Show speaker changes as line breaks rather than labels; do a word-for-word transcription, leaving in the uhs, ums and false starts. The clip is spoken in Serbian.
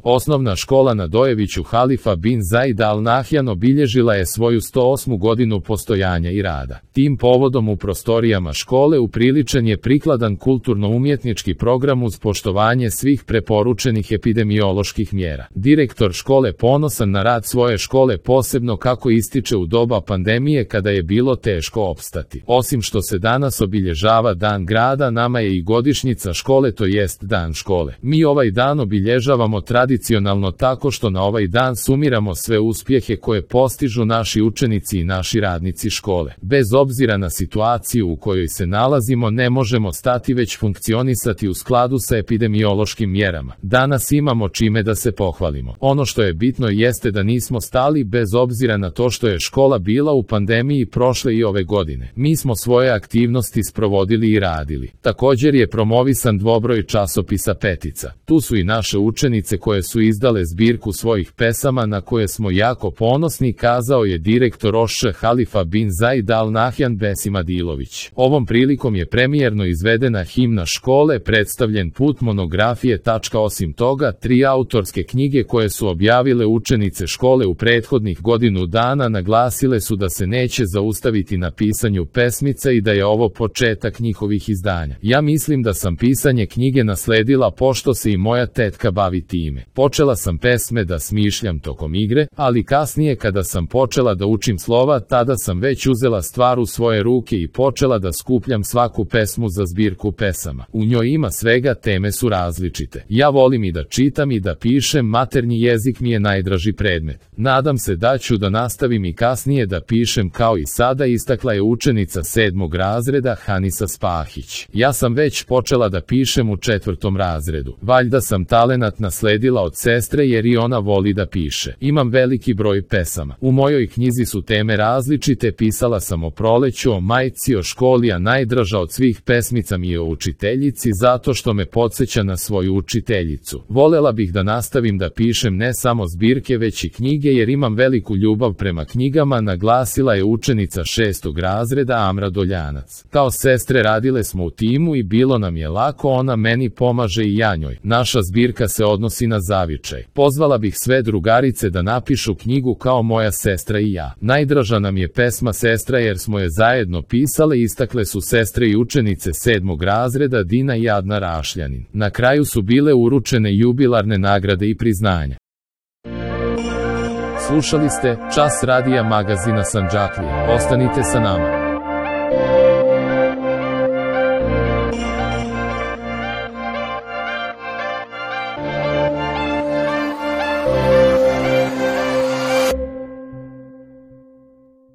Osnovna škola na Dojeviću Halifa bin Zaid Al Nahjan obilježila je svoju sto osmu godinu postojanja i rada. Tim povodom u prostorijama škole upriličen je prikladan kulturno-umjetnički program uz poštovanje svih preporučenih epidemioloških mjera. Direktor škole ponosan na rad svoje škole, posebno kako ističe u doba pandemije kada je bilo teško opstati. Osim što se danas obilježava Dan grada, nama je i godišnjica škole, to jest Dan škole. Mi ovaj dan obilježavamo tradicionalno tako što na ovaj dan sumiramo sve uspjehe koje postižu naši učenici i naši radnici škole. Bez obzira na situaciju u kojoj se nalazimo, ne možemo stati već funkcionisati u skladu sa epidemiološkim mjerama. Danas imamo čime da se pohvalimo. Ono što je bitno jeste da nismo stali bez obzira na to što je škola bila u pandemiji prošle i ove godine. Mi smo svoje aktivnosti sprovodili i radili. Također je promovisan dvobroj časopisa Petica. Tu su i naše učenice koje su izdale zbirku svojih pesama na koje smo jako ponosni, kazao je direktor O Š Halifa bin Zaid Al Nahjan Besim Adilović. Ovom prilikom je premijerno izvedena himna škole, predstavljen put monografije. Osim toga, tri autorske knjige koje su objavile učenice škole u prethodnih godinu dana naglasile su da se neće zaustaviti na pisanju pesmica i da je ovo početak njihovih izdanja. Ja mislim da sam pisanje knjige nasledila pošto se i moja tetka bavi time. Počela sam pesme da smišljam tokom igre, ali kasnije kada sam počela da učim slova, tada sam već uzela stvar u svoje ruke i počela da skupljam svaku pesmu za zbirku pesama. U njoj ima svega, teme su različite. Ja volim i da čitam i da pišem, maternji jezik mi je najdraži predmet. Nadam se da ću da nastavim i kasnije da pišem kao i sada, istakla je učenica sedmog razreda Hanisa Spahić. Ja sam već počela da pišem u četvrtom razredu. Valjda sam talenat nasledila od sestre jer i ona voli da piše. Imam veliki broj pesama. U mojoj knjizi su teme različite, pisala sam o proleću, o majci, o školi, a najdraža od svih pesmica mi je o učiteljici zato što me podsjeća na svoju učiteljicu. Volela bih da nastavim da pišem ne samo zbirke već i knjige jer imam veliku ljubav prema knjigama, naglasila je učenica šestog razreda Amra Doljanac. Kao sestre radile smo u timu i bilo nam je lako, ona meni pomaže i ja njoj. Naša zbirka se odnosi na zavičaj. Pozvala bih sve drugarice da napišu knjigu kao moja sestra i ja. Najdraža nam je pesma Sestra jer smo je zajedno pisale, istakle su sestre i učenice sedmog razreda Dina i Adna Rašljanin. Na kraju su bile uručene jubilarne nagrade i priznanja. Slušali ste Čas radija magazina Sandžaklije. Ostanite sa nama.